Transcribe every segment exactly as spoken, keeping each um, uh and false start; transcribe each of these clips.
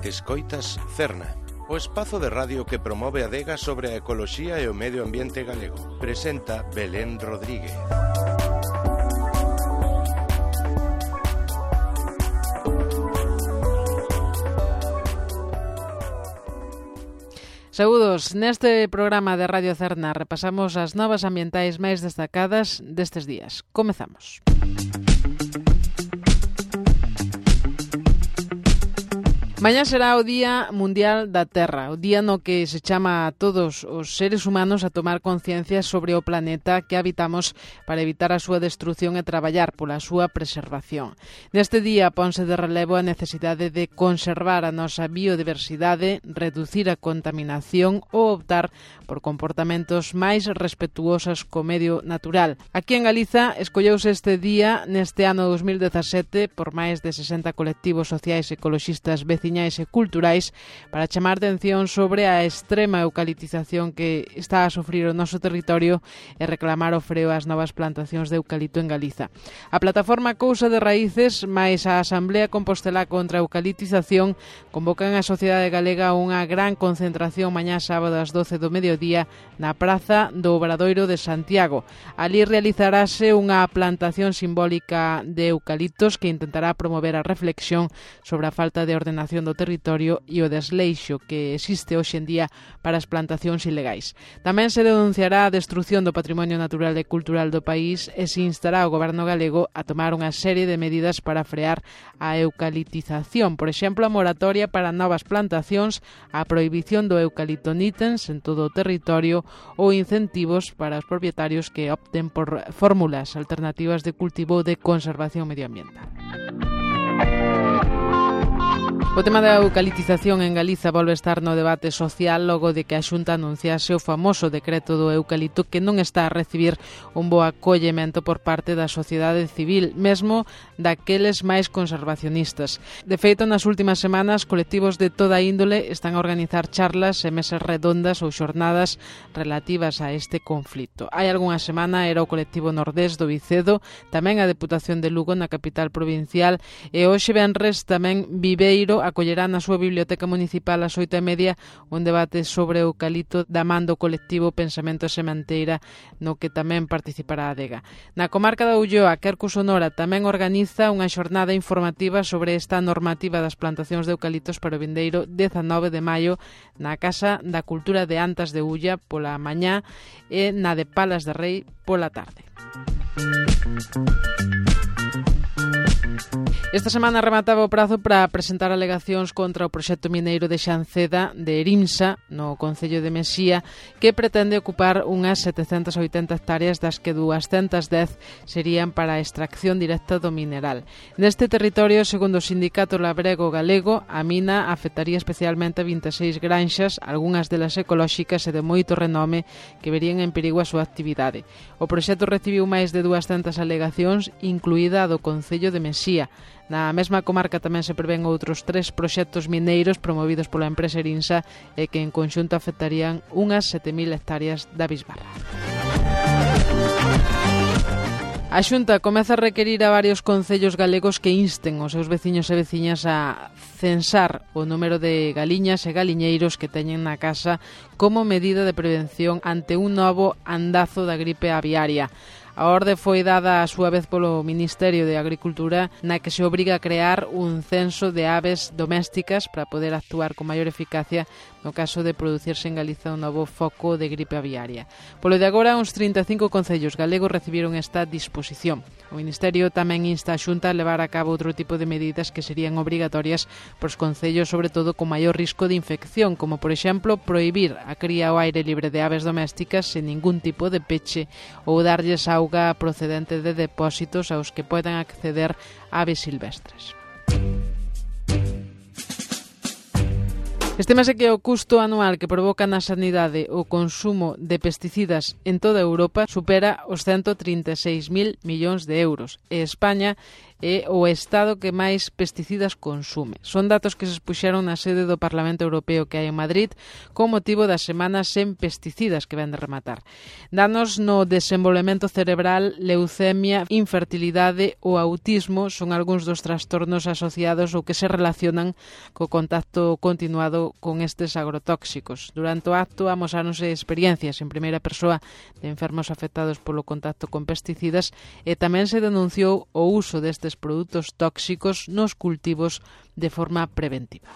Escoitas Cerna, o espazo de radio que promove a adega sobre a ecoloxía e o medio ambiente galego. Presenta Belén Rodríguez. Saúdos, neste programa de Radio Cerna repasamos as novas ambientais máis destacadas destes días. Comezamos. Mañá será o Día Mundial da Terra, o día no que se chama a todos os seres humanos a tomar conciencia sobre o planeta que habitamos para evitar a súa destrución e traballar pola súa preservación. Neste día ponse de relevo a necesidade de conservar a nosa biodiversidade, reducir a contaminación ou optar por comportamentos máis respetuosos co medio natural. Aquí en Galiza escolleuse este día neste ano dos mil dezasete por máis de sesenta colectivos sociais ecoloxistas vecinos e culturais para chamar atención sobre a extrema eucaliptización que está a sufrir o noso territorio e reclamar o freo ás novas plantacións de eucalipto en Galiza. A plataforma Cousa de Raíces máis a Asamblea Compostelá contra a Eucaliptización convocan a sociedade galega a unha gran concentración mañá sábado ás doce do mediodía na Praza do Obradoiro de Santiago. Ali realizarase unha plantación simbólica de eucaliptos que intentará promover a reflexión sobre a falta de ordenación do territorio e o desleixo que existe hoxe en día para as plantacións ilegais. Tamén se denunciará a destrución do patrimonio natural e cultural do país e se instará o goberno galego a tomar unha serie de medidas para frear a eucaliptización, por exemplo, a moratoria para novas plantacións, a prohibición do eucalipto nitens en todo o territorio ou incentivos para os propietarios que opten por fórmulas alternativas de cultivo de conservación medioambiental. O tema da eucaliptización en Galiza volve a estar no debate social logo de que a Xunta anunciase o famoso decreto do eucalipto que non está a recibir un bo acollemento por parte da sociedade civil, mesmo daqueles máis conservacionistas. De feito, nas últimas semanas, colectivos de toda índole están a organizar charlas e mesas redondas ou xornadas relativas a este conflito. Hai algunha semana era o colectivo Nordés do Vicedo, tamén a Deputación de Lugo na capital provincial e hoxe venres tamén Viveiro acollerá na súa biblioteca municipal ás oito e media un debate sobre o eucalipto da man do colectivo Pensamento Sementeira, no que tamén participará a adega. Na comarca da Ulloa, Quercus Sonora tamén organiza unha xornada informativa sobre esta normativa das plantacións de eucaliptos para o vindeiro dezanove de maio na Casa da Cultura de Antas de Ulla pola mañá e na de Palas de Rei pola tarde. Esta semana remataba o prazo para presentar alegacións contra o proxecto mineiro de Xanceda de Erimsa, no concello de Mesía, que pretende ocupar unhas setecentas oitenta hectáreas das que duascentas dez serían para a extracción directa do mineral. Neste territorio, segundo o sindicato labrego galego, a mina afectaría especialmente a vinte e seis granxas, algunhas delas ecolóxicas e de moito renome, que verían en perigo a súa actividade. O proxecto recibiu máis de duascentas alegacións, incluída a do concello de Mesía. Na mesma comarca tamén se prevén outros tres proxectos mineiros promovidos pola empresa Erimsa e que en conxunto afectarían unhas sete mil hectáreas da bisbarra. A Xunta comeza a requerir a varios concellos galegos que insten os seus veciños e veciñas a censar o número de galiñas e galiñeiros que teñen na casa como medida de prevención ante un novo andazo da gripe aviaria. A orde foi dada a súa vez polo Ministerio de Agricultura, na que se obriga a crear un censo de aves domésticas para poder actuar con maior eficacia no caso de producirse en Galiza un novo foco de gripe aviaria. Polo de agora, uns trinta e cinco concellos galegos recibiron esta disposición. O Ministerio tamén insta a Xunta a levar a cabo outro tipo de medidas que serían obrigatorias para os concellos, sobre todo con maior risco de infección, como, por exemplo, prohibir a cría ao aire libre de aves domésticas sen ningún tipo de peche ou darlles auga procedente de depósitos aos que poden acceder aves silvestres. Estímase que o custo anual que provoca na sanidade o consumo de pesticidas en toda Europa supera os ciento trinta e seis mil millóns de euros e España é o estado que máis pesticidas consume. Son datos que se expuxeron na sede do Parlamento Europeo que hai en Madrid con motivo das semanas sen pesticidas que ven de rematar. Danos no desenvolvemento cerebral, leucemia, infertilidade ou autismo son algúns dos trastornos asociados ou que se relacionan co contacto continuado con estes agrotóxicos. Durante o acto amosáronse experiencias en primeira persoa de enfermos afectados polo contacto con pesticidas e tamén se denunciou o uso destes produtos tóxicos nos cultivos de forma preventiva.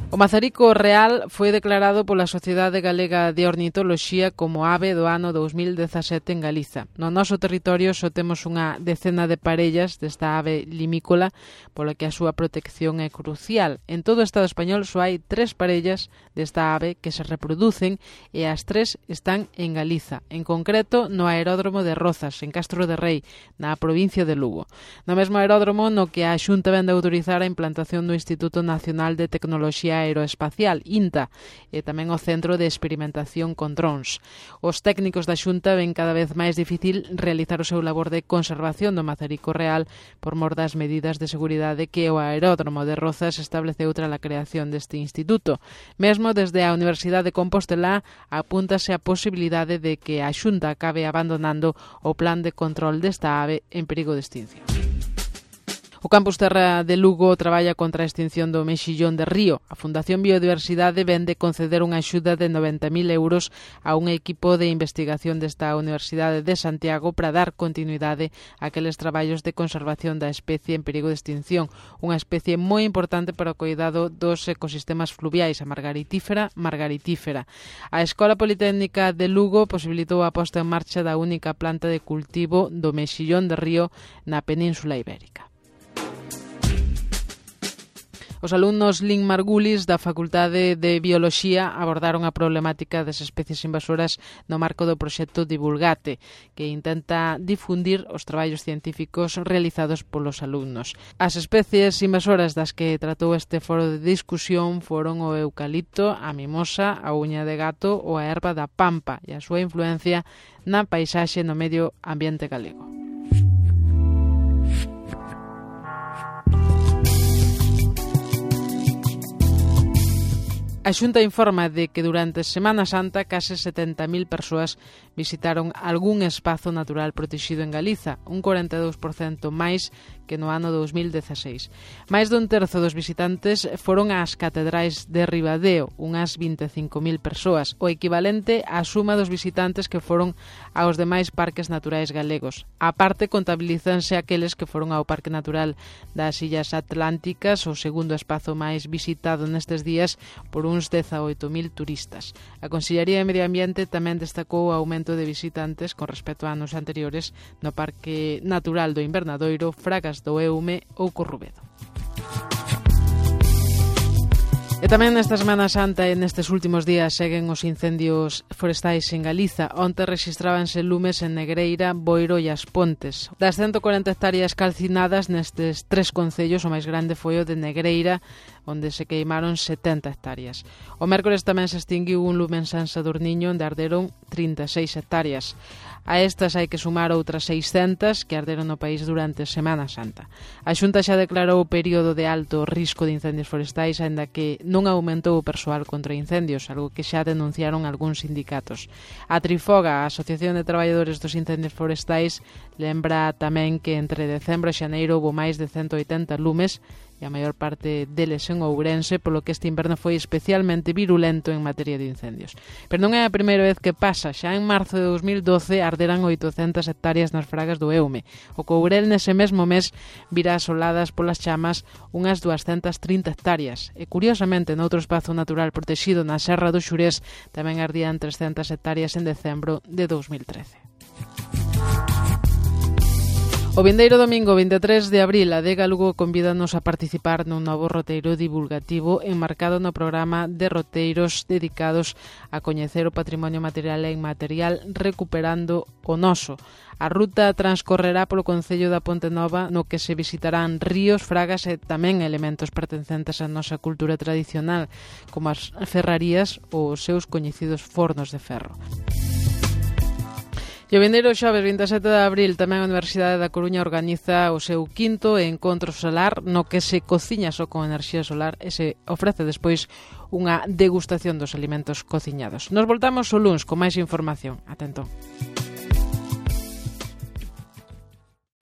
O mazarico real foi declarado pola Sociedade Galega de Ornitoloxía como ave do ano dous mil dezasete en Galiza. No noso territorio só temos unha decena de parellas desta ave limícola, pola que a súa protección é crucial. En todo o Estado español só hai tres parellas desta ave que se reproducen e as tres están en Galiza, en concreto no aeródromo de Rozas, en Castro de Rei, na provincia de Lugo. No mesmo aeródromo no que a Xunta vende a autorizar a implantación do Instituto Nacional de Tecnoloxía Aeroespacial, INTA, e tamén o Centro de Experimentación con Drons. Os técnicos da Xunta ven cada vez máis difícil realizar o seu labor de conservación do mazarico real por mor das medidas de seguridade que o aeródromo de Rozas estableceu tras a creación deste instituto. Mesmo desde a Universidade de Compostelá apúntase a posibilidade de que a Xunta acabe abandonando o plan de control desta ave en perigo de extinción. O Campus Terra de Lugo traballa contra a extinción do mexillón de río. A Fundación Biodiversidade vende conceder unha axuda de noventa mil euros a un equipo de investigación desta Universidade de Santiago para dar continuidade a aqueles traballos de conservación da especie en perigo de extinción, unha especie moi importante para o cuidado dos ecosistemas fluviais, a margaritífera margaritífera. A Escola Politécnica de Lugo posibilitou a posta en marcha da única planta de cultivo do mexillón de río na Península Ibérica. Os alumnos Lin Margulis da Facultade de Bioloxía abordaron a problemática das especies invasoras no marco do proxecto Divulgate, que intenta difundir os traballos científicos realizados polos alumnos. As especies invasoras das que tratou este foro de discusión foron o eucalipto, a mimosa, a uña de gato ou a erva da pampa e a súa influencia na paisaxe no medio ambiente galego. A Xunta informa de que durante Semana Santa case setenta mil persoas visitaron algún espazo natural protegido en Galiza, un cuarenta e dous por cento máis que no ano dous mil dezaseis. Máis dun terzo dos visitantes foron ás catedrais de Ribadeo, unhas vinte e cinco mil persoas, o equivalente á suma dos visitantes que foron aos demais parques naturais galegos. A parte contabilízanse aqueles que foron ao Parque Natural das Illas Atlánticas, o segundo espazo máis visitado nestes días por un uns dezaoito mil turistas. A Consellería de Medio Ambiente tamén destacou o aumento de visitantes con respecto a anos anteriores no Parque Natural do Invernadoiro, Fragas do Eume ou Corrubedo. E tamén nesta Semana Santa e nestes últimos días seguen os incendios forestais en Galiza. Onte rexistrábanse lumes en Negreira, Boiro e As Pontes. Das ciento corenta hectáreas calcinadas nestes tres concellos, o máis grande foi o de Negreira, onde se queimaron setenta hectáreas. O mércores tamén se extinguiu un lume en San Sadurniño, onde arderon trinta e seis hectáreas. A estas hai que sumar outras seiscentas que arderon no país durante Semana Santa. A Xunta xa declarou o período de alto risco de incendios forestais, aínda que non aumentou o persoal contra incendios, algo que xa denunciaron algúns sindicatos. A Trifoga, a Asociación de Traballadores dos Incendios Forestais, lembra tamén que entre decembro e xaneiro houve máis de cento oitenta lumes e a maior parte deles en Ourense, polo que este inverno foi especialmente virulento en materia de incendios. Pero non é a primeira vez que pasa. Xa en marzo de dous mil doce arderan oitocentas hectáreas nas Fragas do Eume. O Courel nese mesmo mes virá asoladas polas chamas unhas duascentas trinta hectáreas. E curiosamente, noutro espazo natural protegido na Serra do Xurés tamén ardían trescentas hectáreas en decembro de dous mil trece. O vindeiro domingo vinte e tres de abril, a Adega Lugo convídanos a participar nun novo roteiro divulgativo enmarcado no programa de roteiros dedicados a coñecer o patrimonio material e inmaterial Recuperando o Noso. A ruta transcorrerá polo concello da Ponte Nova, no que se visitarán ríos, fragas e tamén elementos pertencentes á nosa cultura tradicional, como as ferrarías ou os seus coñecidos fornos de ferro. E o vindeiro xoves vinte e sete de abril tamén a Universidade da Coruña organiza o seu quinto encontro solar no que se cociña só con enerxía solar e se ofrece despois unha degustación dos alimentos cociñados. Nos voltamos o luns con máis información. Atento.